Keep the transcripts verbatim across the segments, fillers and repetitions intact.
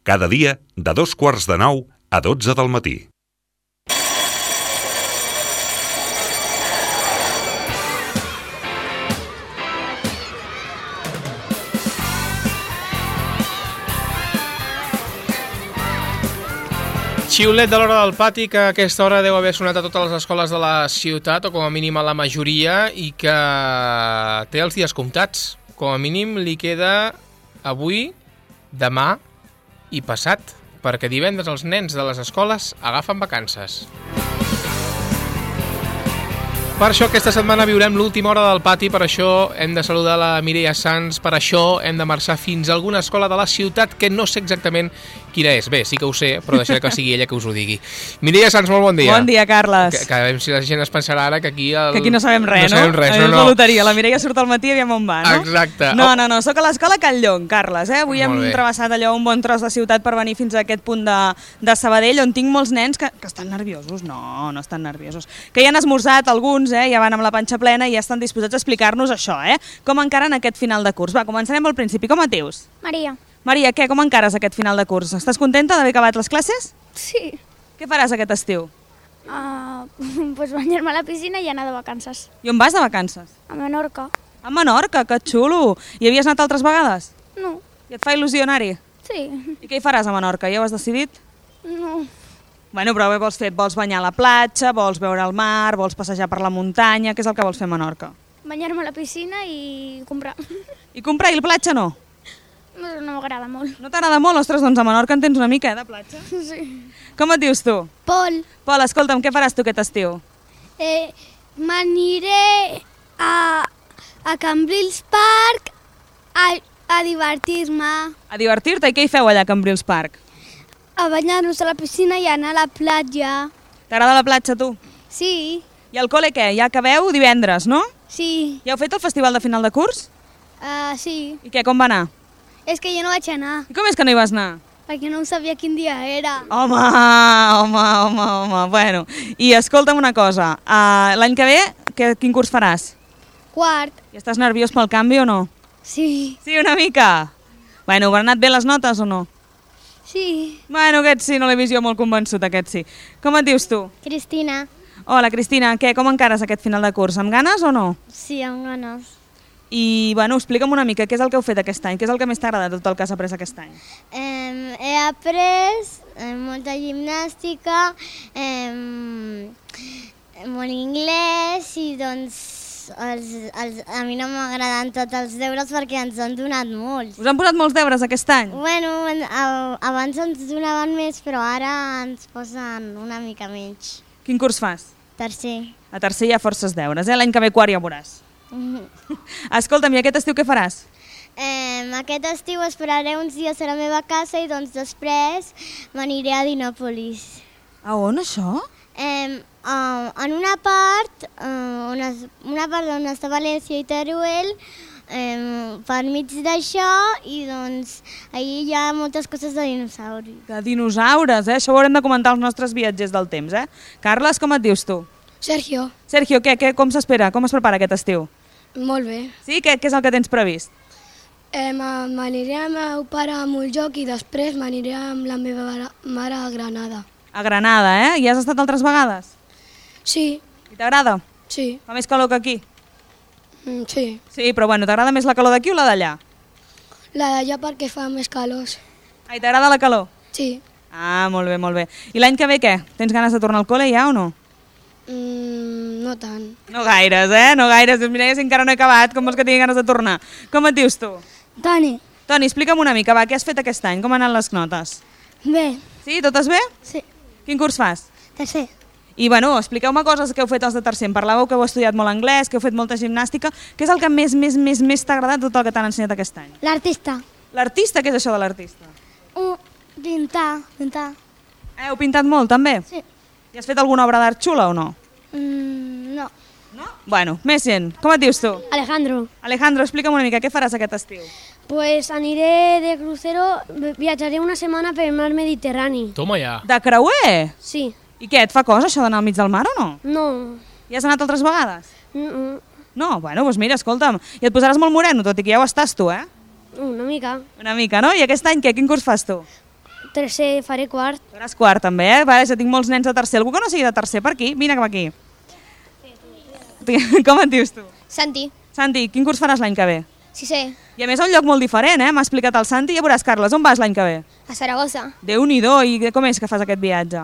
Cada dia, de dos quarts de nou a dotze del matí. Xiulet de l'hora del pati, que a aquesta hora deu haver sonat a totes les escoles de la ciutat, o com a mínim a la majoria, i que té els dies comptats. Com a mínim li queda avui, demà i passat, perquè divendres els nens de les escoles agafen vacances. Per això aquesta setmana viurem l'última hora del pati, per això hem de saludar la Mireia Sans, per això hem de marxar fins a alguna escola de la ciutat que no sé exactament quina és. Bé, sí que ho sé, però deixaré que sigui ella que us ho digui. Mireia Sans, molt bon dia. Bon dia, Carles. Que, que a veure si la gent es pensarà ara que aquí... El... Que aquí no sabem res, no? No sabem res, no, no, no. La loteria, la Mireia surt al matí i aviam on va, no? Exacte. No, no, no, soc a l'escola Calllong, Carles, eh? Avui hem Molt bé. travessat allò un bon tros de ciutat per venir fins a aquest punt de, de Sabadell, on tinc molts nens que, que estan nerviosos. No, no estan nerviosos. Que ja han esmorzat alguns, eh? Ja van amb la panxa plena i ja estan disposats a explicar-nos això, eh? Com encaren aquest final de curs. Va, començarem al principi. Com et dius? Maria. Maria, què? Com encares aquest final de curs? Estàs contenta d'haver acabat les classes? Sí. Què faràs aquest estiu? Uh, pues banyar-me a la piscina i anar de vacances. I on vas de vacances? A Menorca. A Menorca, que xulo! Hi havies anat altres vegades? No. I et fa il·lusió anar-hi? Sí. I què hi faràs a Menorca? Ja ho has decidit? No. Bueno, però què vols fer? Vols banyar a la platja, vols veure el mar, vols passejar per la muntanya? Què és el que vols fer a Menorca? Banyar-me a la piscina i comprar. I comprar i la platja no? No, no m'agrada molt. No t'agrada molt? Ostres, doncs a Menorca en tens una mica, eh, de platja. Sí. Com et dius tu? Pol. Pol, escolta'm, què faràs tu aquest estiu? Eh, m'aniré a, a Cambrils Park a, a divertir-me. A divertir-te? I què hi feu allà a Cambrils Park? A banyar-nos a la piscina i anar a la platja. T'agrada la platja, tu? Sí. I al col·le què? Ja acabeu divendres, no? Sí. Ja heu fet el festival de final de curs? Uh, sí. I què, com va anar? És que jo no vaig anar, I com és que no hi vas anar? perquè no sabia quin dia era. Home, home, home, home, bueno. I escolta'm una cosa, uh, l'any que ve, que, quin curs faràs? Quart. I estàs nerviós pel canvi o no? Sí. Sí, una mica? Bueno, han anat bé les notes o no? Sí. Bueno, aquest sí, no l'he vist jo molt convençut, aquest sí. Com et dius tu? Cristina. Hola, Cristina, què, com encares aquest final de curs? Amb ganes o no? Sí, amb ganes. I, bueno, explica'm una mica, què és el que heu fet aquest any? Què és el que més t'agrada de tot el que has après aquest any? Eh, he après eh, molta gimnàstica, eh, molt anglès i doncs els, els, a mi no m'agraden tots els deures perquè ens han donat molts. Us han posat molts deures aquest any? Bueno, a- abans ens donaven més però ara ens posen una mica menys. Quin curs fas? Tercer. A tercer hi ha forces deures, eh? L'any que ve quart ja ho veuràs. Escolta'm, i aquest estiu què faràs? Eh, aquest estiu esperaré uns dies a la meva casa i doncs després m'aniré a Dinòpolis. A on, això? Eh, uh, en una part, uh, on es, una part on està València i Teruel, eh, per mig d'això, i doncs allà hi ha moltes coses de dinosaures. De dinosaures, eh? Això ho haurem de comentar als nostres viatgers del temps, eh? Carles, com et dius tu? Sergio. Sergio, què, què, com s'espera? Com es prepara aquest estiu? Molt bé. Sí? Què, què és el que tens previst? Eh, m'aniré amb el meu pare a Montjoc i després m'aniré amb la meva mare a Granada. A Granada, eh? Hi has estat altres vegades? Sí, I t'agrada? sí, Fa més calor que aquí? mm, sí. Sí, però bueno, t'agrada més la calor d'aquí o la d'allà? La d'allà perquè fa més calor. Ai, t'agrada la calor? Sí. Ah, molt bé, molt bé. I l'any que ve què? Tens ganes de tornar al col·le ja o no? Mm, no tant. No gaires, eh? No gaires. Mira, si encara no he acabat, com vols que tingui ganes de tornar? Com et dius tu? Toni. Toni, explica'm una mica, va, què has fet aquest any? Com han anat les notes? Bé. Sí, totes bé? Sí. Quin curs fas? Tercer. I, bueno, expliqueu-me coses que heu fet els de tercer. Em parlàveu que heu estudiat molt anglès, que heu fet molta gimnàstica. Què és el que més, més, més, més t'ha agradat de tot el que t'han ensenyat aquest any? L'artista. L'artista, què és això de l'artista? Uh, pintar, pintar. Eh, heu pintat molt, també? Sí. I has fet alguna obra d'art xula o no? Mm, no. No? Bueno, més gent. Com et dius tu? Alejandro. Alejandro, explica'm una mica, què faràs aquest estiu? Pues aniré de crucero, viatjaré una setmana per el mar Mediterrani. Toma ja. De creuer? Sí. I què, et fa cosa això d'anar al mig del mar o no? No. Hi has anat altres vegades? Mm -mm. No? Bueno, doncs mira, escolta'm, i et posaràs molt moreno, tot i que ja ho estàs tu, eh? Una mica. Una mica, no? I aquest any què? Quin curs fas tu? tercer, faré quart. Faràs quart, també, eh? Vale, ja tinc molts nens de tercer. Algú que no sigui de tercer per aquí? Vine cap aquí. Com et dius tu? Santi, Santi, quin curs faràs l'any que ve? sisè, I a més, a un lloc molt diferent, eh? M'ha explicat el Santi. Ja veuràs, Carles, on vas l'any que ve? a Saragossa. Déu-n'hi-do, i com és que fas aquest viatge?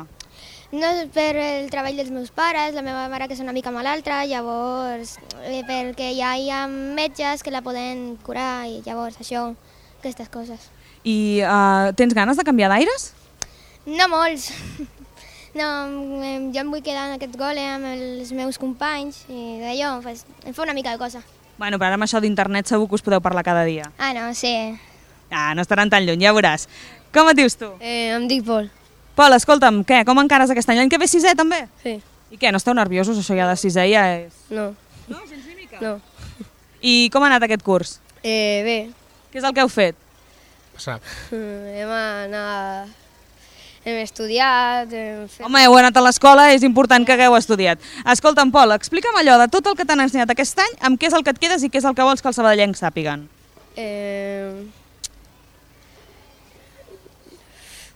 No és per el treball dels meus pares, la meva mare que és una mica malaltra, llavors eh, perquè ja hi ha metges que la poden curar i llavors això, aquestes coses. I uh, tens ganes de canviar d'aires? No molts. No, em- jo em vull quedar en aquest gole amb els meus companys i d'allò pues, em fa una mica de cosa. Bueno, però ara amb això d'internet segur que us podeu parlar cada dia. Ah, no, sí. Ah, no estaran tan lluny, ja veuràs. Com et dius tu? Eh, em dic Pol. Pol, escolta'm, què? Com encares aquest any? L'any que ve sisè, també? Sí. I què, no esteu nerviosos? Això ja de sisè ja és... No. No, gens ni mica? No. I com ha anat aquest curs? Eh, bé. Què és el que heu fet? Passat. Hem anat... Hem estudiat, hem fet... Home, heu anat a l'escola, és important que hagueu estudiat. Escolta'm, Pol, explica'm allò de tot el que t'han ensenyat aquest any, amb què és el que et quedes i què és el que vols que els sabadellencs sàpiguen. Eh...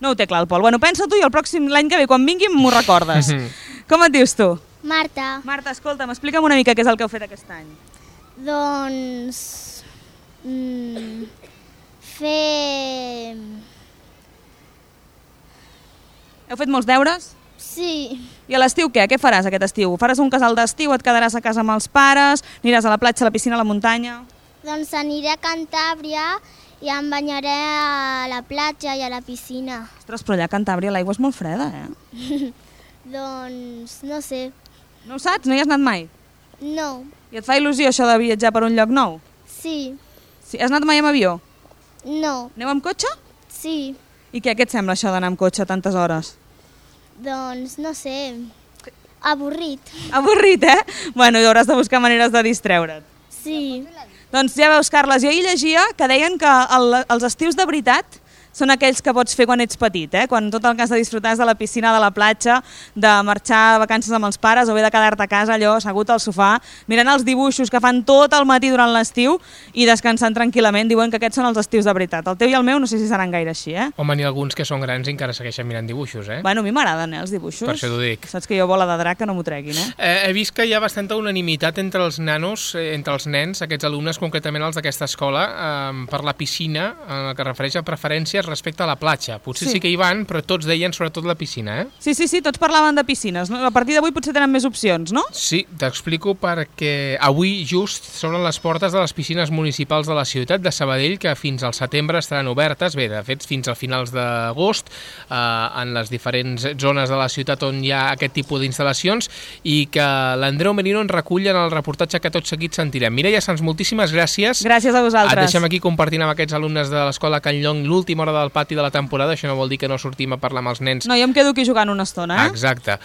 No ho té clar el Pol. Bueno, pensa tu i el pròxim l'any que ve, quan vingui, m'ho recordes. Com et dius tu? Marta, Marta, escolta'm, explica'm una mica què és el que heu fet aquest any. doncs... Mm, fer... Heu fet molts deures? Sí, I a l'estiu què? Què faràs aquest estiu? Faràs un casal d'estiu, et quedaràs a casa amb els pares, aniràs a la platja, a la piscina, a la muntanya... doncs aniré a Cantàbria i em banyaré a la platja i a la piscina. Ostres, però allà a Cantàbria l'aigua és molt freda, eh? Doncs no sé, No ho saps? No hi has anat mai? no, I et fa il·lusió això de viatjar per un lloc nou? sí, Sí, has anat mai amb avió? no, Aneu amb cotxe? sí, I què, què et sembla això d'anar amb cotxe tantes hores? doncs no sé, avorrit, Avorrit, eh? Bueno, i hauràs de buscar maneres de distreure't. sí, Doncs ja veus, Carles, jo ahir llegia que deien que el, els estius de veritat són aquells que pots fer quan ets petit, eh? Quan tot el que has de disfrutar és de la piscina, de la platja, de marxar a vacances amb els pares o bé de quedar-te a casa allò assegut al sofà, mirant els dibuixos que fan tot el matí durant l'estiu i descansant tranquil·lament. Diuen que aquests són els estius de veritat. El teu i el meu no sé si seran gaire així, eh? Home, n'hi ha alguns que són grans i encara segueixen mirant dibuixos, eh? Bueno, a mi m'agraden, eh, els dibuixos. Per això t'ho dic. Saps que jo bola de drac que no m'ho treguin, eh? Eh, he vist que hi ha bastanta unanimitat entre els nanos, eh, entre els nens, aquests alumnes, concretament els d'aquesta escola, eh, per la piscina, en el que refereix a preferències respecte a la platja. Potser Sí. sí que hi van, però tots deien sobretot la piscina, eh? Sí, sí, sí, tots parlaven de piscines. No? A partir d'avui potser tenen més opcions, no? Sí, t'explico perquè avui just s'obren les portes de les piscines municipals de la ciutat de Sabadell, que fins al setembre estaran obertes, bé, de fet fins a finals d'agost, eh, en les diferents zones de la ciutat on hi ha aquest tipus d'instal·lacions, i que l'Andreu Merino ens recull en el reportatge que tot seguit sentirem. Mireia Sans, moltíssimes gràcies. Gràcies a vosaltres. Et deixem aquí compartint amb aquests alumnes de l'escola Can Llong l'última hora del pati de la temporada. Això no vol dir que no sortim a parlar amb els nens. No, jo em quedo aquí jugant una estona, eh? Exacte.